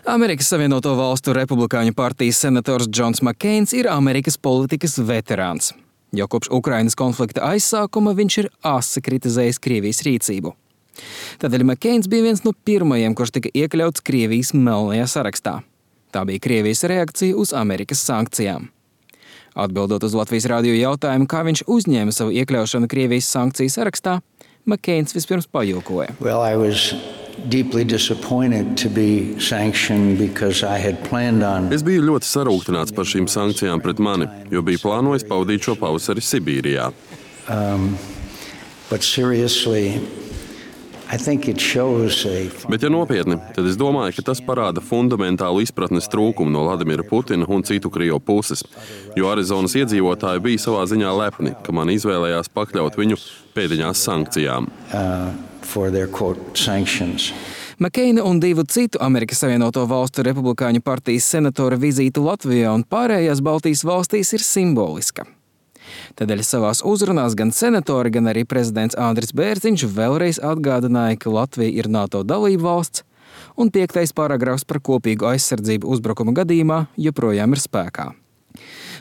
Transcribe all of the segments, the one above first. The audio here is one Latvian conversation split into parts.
Amerikas Savienoto Valstu Republikāņu partijas senators Džons Makkeins ir Amerikas politikas veterāns. Jau kopš Ukrainas konflikta aizsākuma viņš ir asi kritizējis Krievijas rīcību. Tādēļ Makkeins bija viens no pirmajiem, kurš tika iekļauts Krievijas melnajā sarakstā. Tā bija Krievijas reakcija uz Amerikas sankcijām. Atbildot uz Latvijas radio jautājumu, kā viņš uzņēma savu iekļaušanu Krievijas sankciju sarakstā, Makkeins vispirms pajokoja. Es biju ļoti sarūktināts par šīm sankcijām pret mani, jo biju plānojis pavadīt šo pavasari Sibīrijā. Bet, ja nopietni, tad es domāju, ka tas parāda fundamentālu izpratnes trūkumu no Vladimira Putina un citu Krievu puses, jo Arizonas iedzīvotāji bija savā ziņā lepni, ka man izvēlējās pakļaut viņu pēdiņās sankcijām. Makkeina un divu citu Amerikas Savienoto Valstu Republikāņu partijas senatora vizīte Latvijā un pārējās Baltijas valstīs ir simboliska. Tādēļ savās uzrunās gan senatori, gan arī prezidents Andris Bērziņš vēlreiz atgādināja, ka Latvija ir NATO dalība valsts un 5. paragrafs par kopīgu aizsardzību uzbrukuma gadījumā joprojām ir spēkā.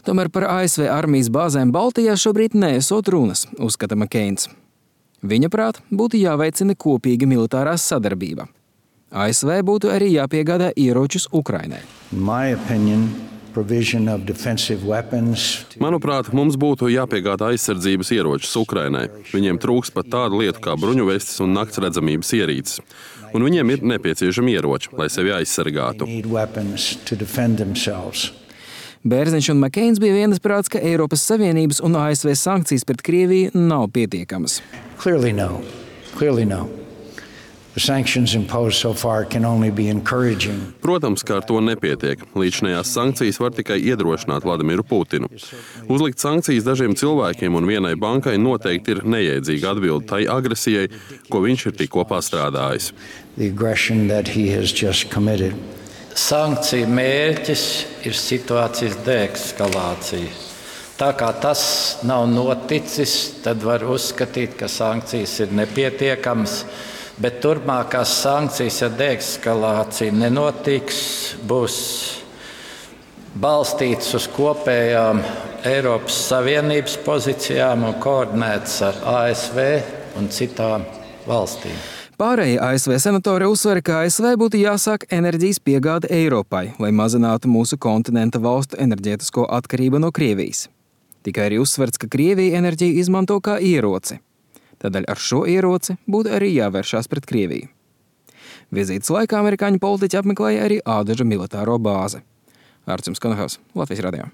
Tomēr par ASV armijas bāzēm Baltijā šobrīd neesot runas, uzskata Makkeins. Viņa prāt būtu jāveicina kopīga militārā sadarbība. ASV būtu arī jāpiegādā ieročus Ukrainai. Manuprāt, mums būtu jāpiegādā aizsardzības ieročus Ukrainai. Viņiem trūks pat tādu lietu kā bruņuvestes un naktsredzamības ierīces. Un viņiem ir nepieciešami ieroči, lai sevi aizsargātu. Bērziņš un Makkeins bija vienasprāts, ka Eiropas Savienības un ASV sankcijas pret Krieviju nav pietiekamas. Clearly no. The sanctions imposed so far can only be encouraging. Protams, ka ar to nepietiek. Līdzinājās sankcijas var tikai iedrošināt Vladimiru Putinu. Uzlikt sankcijas dažiem cilvēkiem un vienai bankai noteikti ir nejēdzīga atbilde tai agresijai, ko viņš ir tikko pastrādājis. The aggression that he has just committed. Sankciju mērķis ir situācijas deeskalācija. Tā kā tas nav noticis, tad var uzskatīt, ka sankcijas ir nepietiekamas. Bet turpmākās sankcijas, ja deeskalācija nenotiks, būs balstītas uz kopējām Eiropas Savienības pozīcijām un koordinētas ar ASV un citām valstīm. Pārējie ASV senatori uzsver, ka ASV būtu jāsāk enerģijas piegāde Eiropai, lai mazinātu mūsu kontinenta valstu enerģētisko atkarību no Krievijas. Tikai arī uzsverts, ka Krievija enerģiju izmanto kā ieroci. Tādēļ ar šo ieroci būtu arī jāvēršās pret Krieviju. Vizītes laikā amerikāņu politiķi apmeklēja arī Ādaža militāro bāzi. Ārcis Konohaus, Latvijas radio.